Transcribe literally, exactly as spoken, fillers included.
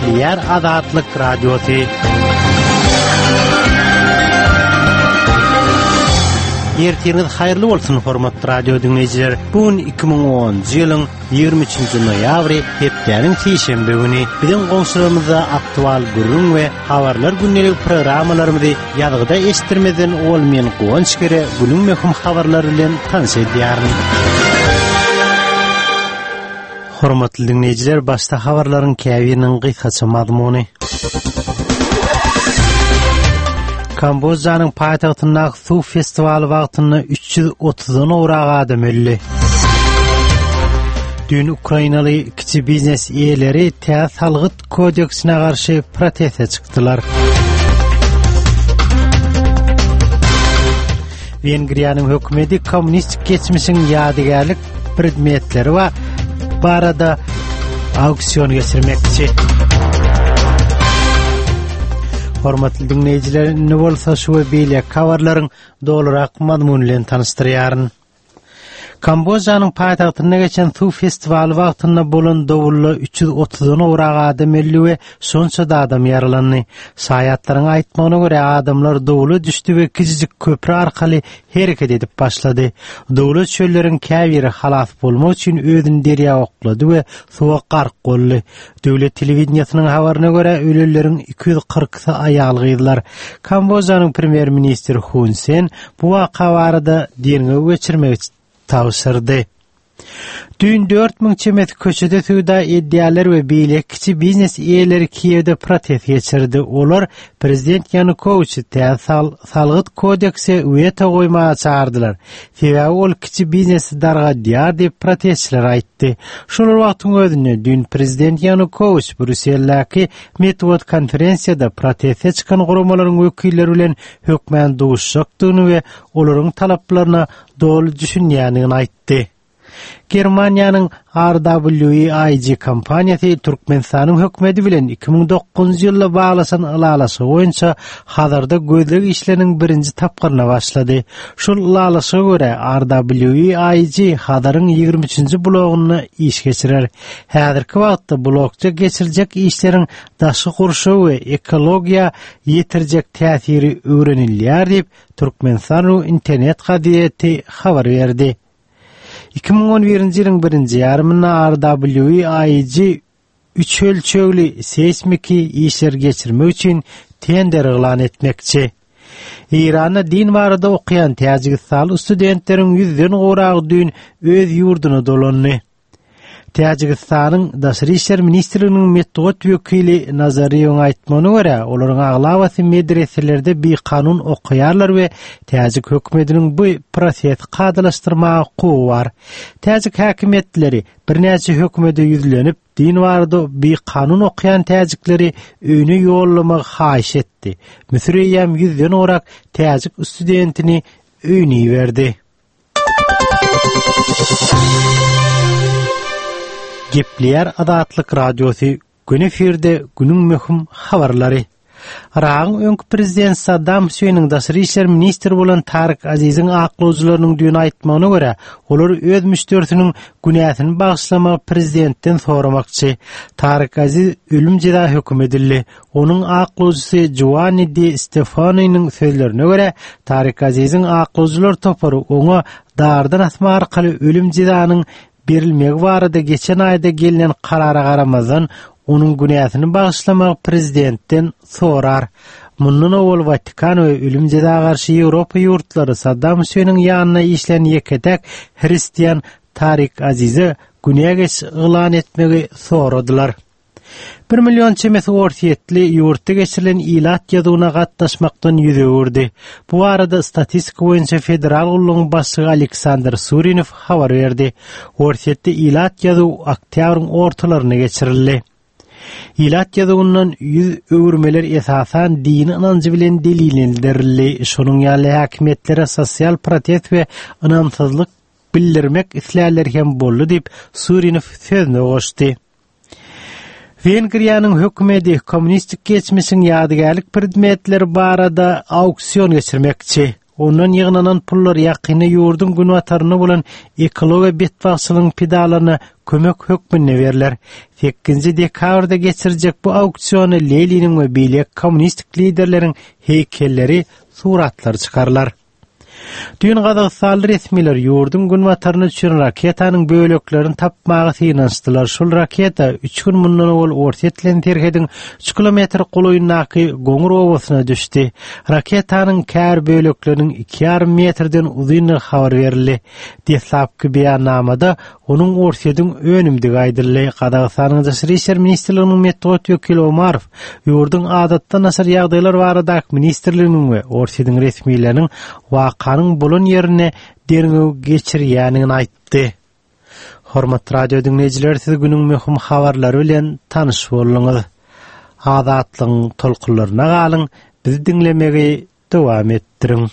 Gepleýär Azatlyk Radiosy. Ertiriňiz haýyrly bolsun, hormatly radio diňleýjiler. Bu gün iki müň onunjy ýylyň ýigrimi üçünji noýabry, hepdäniň sişenbe güni. Biziň goňşularymyzda aktual gürrüň we habarlar gündelik programmalarymyzy ýazgyda eşitdirmezden owal men Guwanç Gere günüň möhüm habarlary bilen tanyş edýärin. Hormatly diňleýjiler, başda habarlaryň käbiriniň gysgaça mazmuny. Kambodžanyň paýtagtyndaky suw festiwaly wagtynda üç ýüz otuzdan gowrak adam öldi. Düýn ukrainaly kiçi biznes eýeleri täze salgyt kodeksine garşy proteste çykdylar. Wengriýanyň hökümeti kommunistik geçmişiň ýadygärlik predmetleri barada auksion geçirmekçi. Hormatly diňleýjiler, indi bolsa şu we beýleki habarlaryň dolurak mazmuny bilen tanyşdyrýaryn. Kambodžanyň paýtagtynda geçen suw festiwaly wagtynda bolan dowulda üç ýüz otuzdan gowrak adam öldi we şonça-da adam ýaralandy. Şaýatlaryň aýtmagyna görä, adamlar dowula düşdi we kiçijik köpri arkaly hereket edip başlady. Dowula düşenleriň käbiri halas bolmak üçin özüni derýa oklady we suwa gark boldy. Döwlet telewideniýesiniň habaryna görä, ölenleriň iki ýüz kyrkysy aýal-gyzlar. Kambodžanyň premýer-ministri Hun Sen bu waka barada derňew geçirmegi tabşyrdy. Düýn dört müň çemesi köçede söwda edýärler we beýleki kiçi biznes eýeleri Kiýewde protest geçirdi. Olar prezident Ýanukowiçi täze sal-, salgyt kodekse weto goýmaga çagyrdylar. Sebäbi ol kiçi biznesi dargadýar diýip protestçiler aýtdy. Şol bir wagtyň özünde düýn prezident Ýanukowiç Brýusseldäki metbugat konferensiýada proteste çykan guramalaryň wekilleri bilen hökmän duşuşjakdygyny we olaryň talaplaryna doly düşünýändigini aýtdy. Germaniýanyň R W E I G kompaniýasy Türkmenistanyň hökümeti bilen iki müň dokuzynjy ýylda baglaşan ylalaşygy boýunça Hazarda gözleg işleriniň birinji tapgyryna başlady. Şol ylalaşyga görä R W E I G Hazaryň ýigrimi üçünji blogunda iş geçirer. Häzirki wagtda blokda geçiriljek işleriň daşky gurşaw we ekologiýa ýetirjek täsiri öwrenilýär diýip Türkmenistan internet gazeti habar berdi. Iki müň on birinji ýylyň birinji ýarymynda R W E I G üç ölçegli seýsmiki işler geçirmek üçin tender yglan etmekçi. Eýranda din barada okaýan Täjigistanly studentleriň ýüzden gowragy düýn öz ýurduna dolandy. Täjigistanyň Daşary işler ministrliginiň metbugat wekili Nazariýewiň aýtmagyna görä, olaryň aglabasy medreselerde bikanun okaýarlar we täjik hökümetiniň bu prosesi kadalaşdyrmaga hukugy bar. Täjik häkimiýetleri birnäçe hökümete ýüzlenip, din barada bikanun okaýan täjikleri öýüne ýollamagy haýyş etdi. Müsür eýýäm ýüzden gowrak täjik studentini öýüne iberdi. Gepleýär Azatlyk Radiosy, gün efirde günüň möhüm habarlary. Yragyň öňki prezident Saddam Hüseýniň daşary işler ministri bolan Tarik Aziziň aklawjylarynyň düýn aýtmagyna görä, olar öz müşderisiniň günäsini bagyşlamagy prezidentden soramakçy. Tarik Aziz ölüm jeza höküm edildi. Onuň aklawjysy Giovanni Di Stefaniniň sözlerine görä, Tarik Aziziň aklawjylar topary oňa dardan asma arkaly ölüm jezanyň berilmegi barada geçen aýda gelnen karara garamazdan onuň günäsini bagyşlamagy prezidentden sorar. Mundan owal Watikan we ölüm jeza garşy Ýewropa ýurtlary Saddam Hüseýniň ýanyna işlän ýeke-täk hristian Tarik Azize günä geç yglan etmegi soradylar. Bir million çemesi orsýetli ýurtda geçirilen ilat ýazuwyna gatnaşmakdan ýüz öwürdi. Bu arada statistika boýunça federal gullugyň başlygy Aleksandr Surinow habar berdi. Orsýetde ilat ýazuw oktýabryň ortalarynda geçirildi. Ilat ýazuwyndan ýüz öwürmeler esasan dini ynanjy bilen delillendirildi. Şonuň ýaly häkimiýetlere sosial protest we ynamsyzlyk bildirmek islärler hem boldy diýip Surinow sözüne goşdy. Wengriýanyň hökümeti kommunistik geçmişiň ýadygärlik predmetleri barada auksion geçirmekçi. Ondan ýygnanan pullar ýakynda ýurduň günbatarynda bolan ekologiýa betbagtçylygyň pidalaryna kömek hökmünde berler. Sekizinji dekabrda geçiriljek bu auksiona Leniniň we beýleki kommunistik liderleriň heýkelleri, suratlary çykarylar. Düýn gazagystanly resmiler ýurduň günbataryna düşen raketanyň böleklerini tapmaga synanyşdylar. Şol raketa üç gün mundan owal Orsýet bilen serhediň üç kilometr golaýyndaky Goňur obasyna düşdi. Raketanyň käbir bölekleriniň iki ýarym metrden uzyndygy habar berildi. Deslapky beýannamada onuň Orsýetiň önümdigi aýdyldy. Gazagystanyň Daşary işler ministrliginiň metbugat wekili Omarow ýurduň Adatdan daşary ýagdaýlar baradaky ministrliginiň we Orsýetiň resmileriniň wakanyň bolan ýerinde derňew geçirýändigini aýtdy. Hormatly radio diňleýjiler, siz günüň möhüm habarlary bilen tanyş bolduňyz. Azatlygyň tolkunlaryna galyň, bizi diňlemegi dowam etdiriň.